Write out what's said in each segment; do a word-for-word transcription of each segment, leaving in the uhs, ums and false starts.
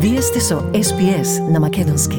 Вие сте со Ес Би Ес на македонски.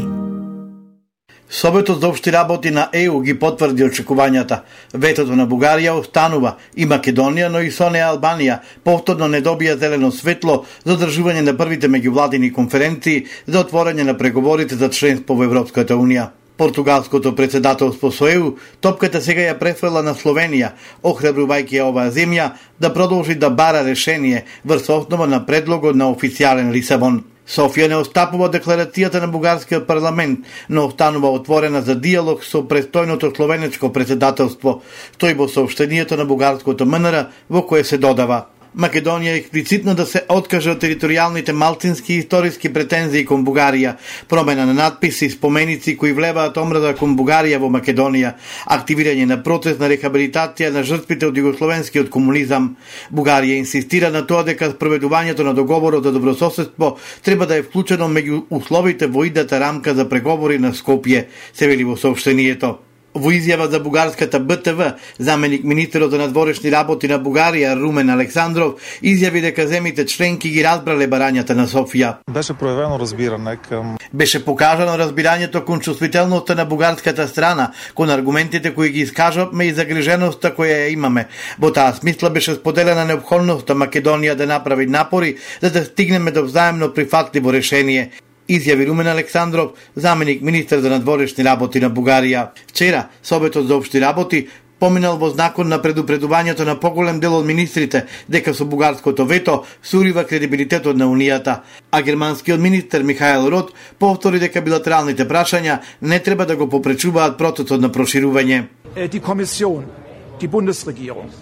Советот за општи работи на Е У ги потврди очекувањата. Ветото на Бугарија останува и Македонија, но и со неа Албанија повторно не добија зелено светло за одржување на првите меѓувладини конференции за отворање на преговорите за членство во Европската Унија. Португалското председателство со Е У топката сега ја префрла на Словенија, охрабрувајќи ја оваа земја да продолжи да бара решение врз основа на предлогот на официјален Лисабон. Софија не отстапува декларацијата на бугарскиот парламент, но останува отворена за диалог со престојното словенечко председателство, стои во соопштението на бугарското Ем Ен Ер во кое се додава: Македонија експлицитно да се откаже од територијалните малцински и историски претензии кон Бугарија, промена на надписи и споменици кои влеваат омраза кон Бугарија во Македонија, активирање на процес на рехабилитација на жртвите од југословенскиот комунизам. Бугарија инсистира на тоа дека спроведувањето на договорот за добрососедство треба да е вклучено меѓу условите во идната рамка за преговори на Скопје, се вели во соопштението. Во изјава за бугарската Б Т В, заменик министерот за надворешни работи на Бугарија Румен Александров изјави дека земите членки ги разбрале барањата на Софија. Беше проявено разбирање кон Беше покажано разбирањето кон чувствителноста на бугарската страна, кон аргументите кои ги искажавме и загриженоста која ја имаме. Во таа смисла беше споделена неопходноста Македонија да направи напори за да стигнеме до взаемно прифатливо решение, изјави Румен Александров, заменик министер за надворешни работи на Бугарија. Вчера, Советот за општи работи поминал во знакот на предупредувањето на поголем дел од министрите дека со бугарското вето сурива кредибилитетот на Унијата, а германскиот министер Михаел Рот повтори дека билатералните прашања не треба да го попречуваат процесот на проширување. Die Kommission, die Bundesregierung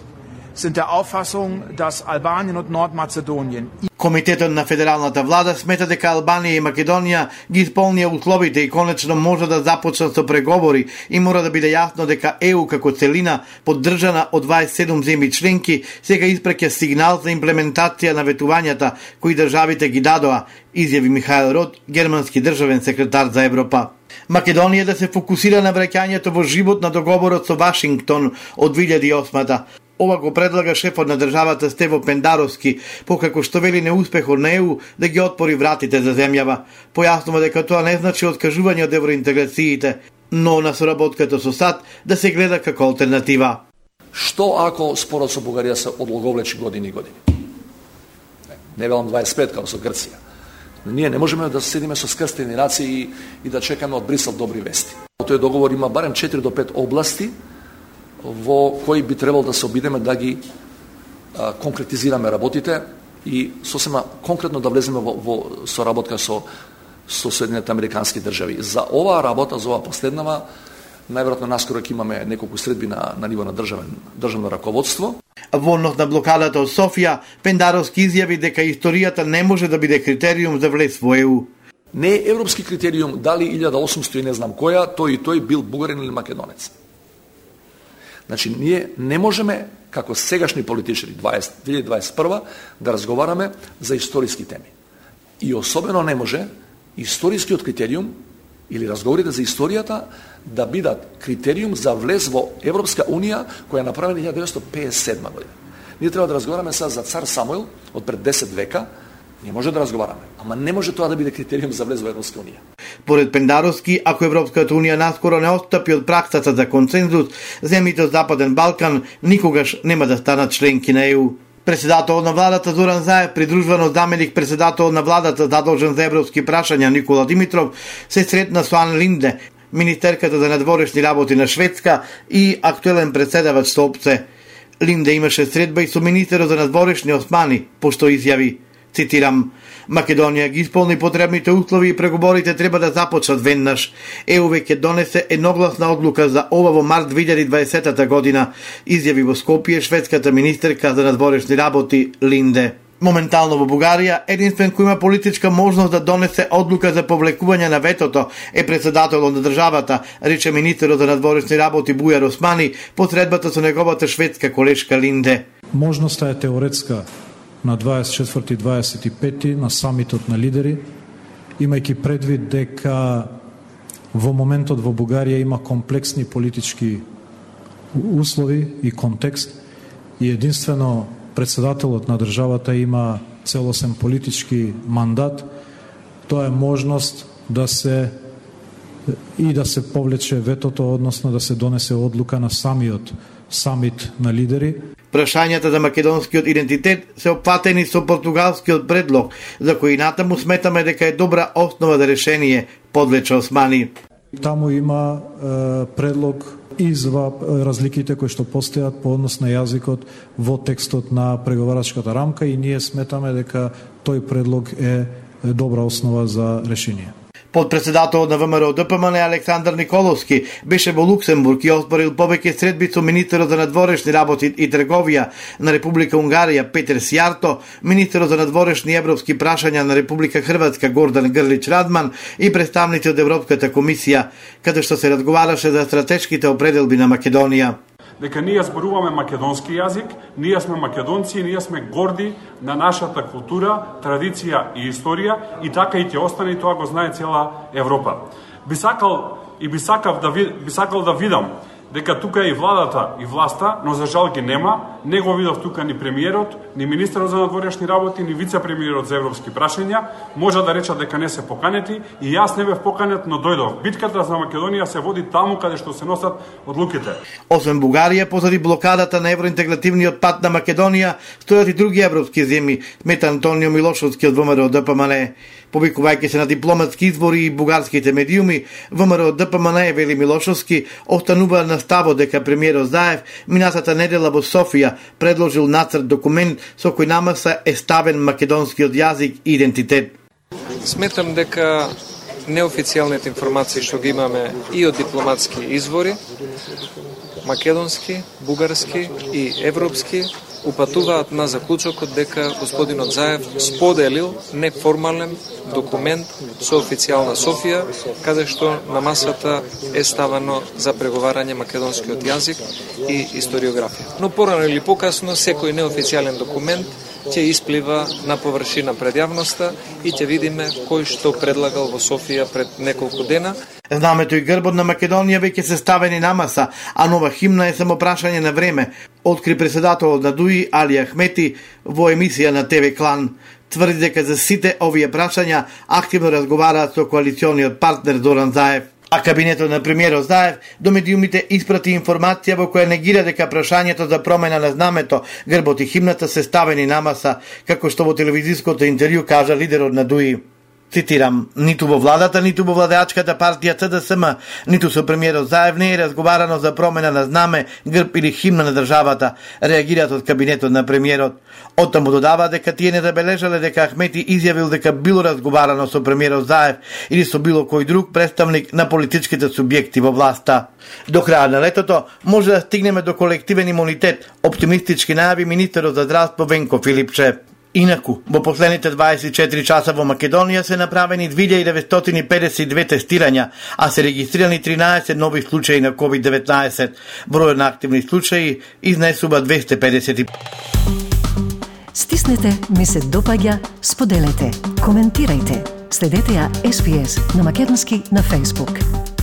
sind der Auffassung, dass Albanien und Nordmazedonien Комитетот на федералната влада смета дека Албанија и Македонија ги исполнија условите и конечно може да започнат со преговори и мора да биде јасно дека Е У како целина, поддржана од дваесет и седум земји членки, сега испраќа сигнал за имплементација на ветувањата кои државите ги дадоа, изјави Михаел Рот, германски државен секретар за Европа. Македонија да се фокусира на враќањето во живот на договорот со Вашингтон од две илјади и осма. Ова го предлага шефот на државата Стево Пендаровски, покако што вели неуспехот на Е У да ги отпори вратите за земјава. Појаснува дека тоа не значи откажување од евроинтеграциите, но на соработката со САД да се гледа како алтернатива. Што ако спорот со Бугарија се одлоговлечи години и години? Не велам дваесет и пет како со Грција. Ние не можеме да седиме со скрстени раце и, и да чекаме од Брисел добри вести. Тој договор има барем четири до пет области во кои би требало да се обидеме да ги а, конкретизираме работите и сосема конкретно да влеземе во, во соработка со, со Соединените Американски држави. За оваа работа, за оваа последнава, најверојатно наскоро ќе имаме неколку средби на, на ниво на државен, државно раководство. Во однос на блокадата од Софија, Пендаровски изјави дека историјата не може да биде критериум за влез во Е У. Не е европски критериум дали илјада и осумсто и не знам која, тој и тој бил бугарин или македонец. Значи, ние не можеме, како сегашни политичари, две илјади дваесет и прва, да разговараме за историски теми. И особено не може историскиот критериум или разговорите за историјата да бидат критериум за влез во Европска Унија, која е направена илјада деветстотини пеесет и седма година. Ние треба да разговараме сега за цар Самуил од пред десет века. Не може да разговараме, ама не може тоа да биде критериум за влез во Европска Унија. Поред Пендаровски, ако Европската Унија наскоро не отстапи од праксата за консензус, земјите од Западен Балкан никогаш нема да станат членки на Е У. Председателот на владата Зоран Заев, придружуван од заменик председател на владата задолжен за европски прашања Никола Димитров, се сретна со Ан Линде, министерката за надворешни работи на Шведска и актуелен председавач со ОПСЕ. Линде имаше средба и со министерот за надворешни Османи, пошто изјави, цитирам: Македонија ги исполни потребните услови и преговорите треба да започнат веднаш. Е У веќе донесе едногласна одлука за ова во март две илјади и дваесета година, изјави во Скопје шведската министерка за надворешни работи Линде. Моментално во Бугарија, единствен кој има политичка можност да донесе одлука за повлекување на ветото е председателот на државата, рече министерот за надворешни работи Бујар Османи по средбата со неговата шведска колешка Линде. Можноста е теоретска на дваесет и четврти и дваесет и пети на самитот на лидери, имајќи предвид дека во моментот во Бугарија има комплексни политички услови и контекст и единствено председателот на државата има целосен политички мандат тоа е можност да се и да се повлече ветото, односно да се донесе одлука на самиот самит на лидери. Прашањата за македонскиот идентитет се опфатени со португалскиот предлог, за кој натаму сметаме дека е добра основа за решение, подлече Османи. Таму има е, предлог изва разликите кои што постојат по однос на јазикот во текстот на преговарачката рамка и ние сметаме дека тој предлог е добра основа за решение. Подпредседателот на ВМРО Д П М Н Александар Николовски беше во Луксембург и оспорил повеќе средби со министерот за надворешни работи и трговија на Република Унгарија Петер Сјарто, министерот за надворешни европски прашања на Република Хрватска Гордан Грлич Радман и представници од Европската комисија, каде што се разговараше за стратешките определби на Македонија. Дека ние зборуваме македонски јазик, ние сме македонци, ние сме горди на нашата култура, традиција и историја и така и ќе остане и тоа го знае цела Европа. Би сакал и би сакав да ви, би сакал да видам дека тука е и владата и власта, но за жал ги нема. Не го видов тука ни премиерот, ни министерот за надворешни работи, ни вице-премиерот за европски прашања. Може да речат дека не се поканети и јас не бев поканет, но дојдов. Битката за Македонија се води таму каде што се носат одлуките. Освен Бугарија, позади блокадата на евроинтегративниот пат на Македонија, стојат и други европски земји, смета Антонио Милошовски од ВМРО Д П М Н. Повикувајќи се на дипломатски извори и бугарските медиуми, ВМРО Д П М Н вели Милошовски останува на ставот дека премиерот Заев минатата недела во Софија предложил нацрт документ со кој намаса е ставен македонскиот јазик и идентитет. Сметам дека неофицијалните информации што ги имаме и од дипломатски извори, македонски, бугарски и европски, упатуваат на заклучокот дека господинот Заев споделил неформален документ со официјална Софија, каде што на масата е ставено за преговарање македонскиот јазик и историографија. Но порано или покасно секој неофицијален документ ќе исплива на површина пред јавноста и ќе видиме кој што предлагал во Софија пред неколку дена. Знамето и грбот на Македонија веќе се ставени на маса, а нова химна е само прашање на време, откри председателот на ДУИ Али Ахмети во емисија на Т В Клан. Тврди дека за сите овие прашања активно разговараат со коалициониот партнер Зоран Заев. А кабинетот на премиерот Заев до медиумите испрати информација во која негира дека прашањето за промена на знамето, грбот и химната се ставени на маса, како што во телевизиското интервју кажа лидерот на ДУИ. Цитирам, ниту во владата, ниту во владеачката партија Ц Д С М, ниту со премиерот Заев не е разговарано за промена на знаме, грб или химна на државата, реагираат од кабинетот на премиерот. Оттаму додава дека тие не забележале дека Ахмети изјавил дека било разговарано со премиерот Заев или со било кој друг представник на политичките субјекти во власта. До крајот на летото може да стигнеме до колективен имунитет, оптимистички најави министерот за здравство Венко Филипче. Инаку, во последните дваесет и четири часа во Македонија се направени две илјади деветстотини педесет и две тестирања, а се регистрирани тринаесет нови случаи на ковид деветнаесет. Бројот на активни случаи изнесува двесте педесет и пет. Стиснете, ми се допаѓа, споделете, коментирајте. Следете ја С Б С на македонски на Facebook.